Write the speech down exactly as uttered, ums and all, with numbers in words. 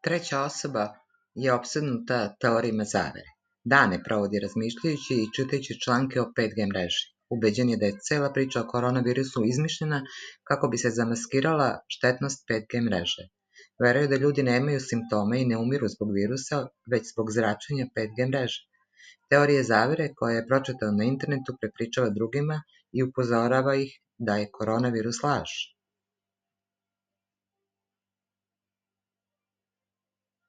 treća osoba je opsednuta teorijama zavere. Dane provodi razmišljajući i čitajući članke o pet G mreži. Ubeđen je da je cela priča o koronavirusu izmišljena kako bi se zamaskirala štetnost pet G mreže. Veruje da ljudi nemaju simptome i ne umiru zbog virusa, već zbog zračenja pet G mreže. Teorije zavere koje je pročitao na internetu prepričava drugima i upozorava ih da je koronavirus laž.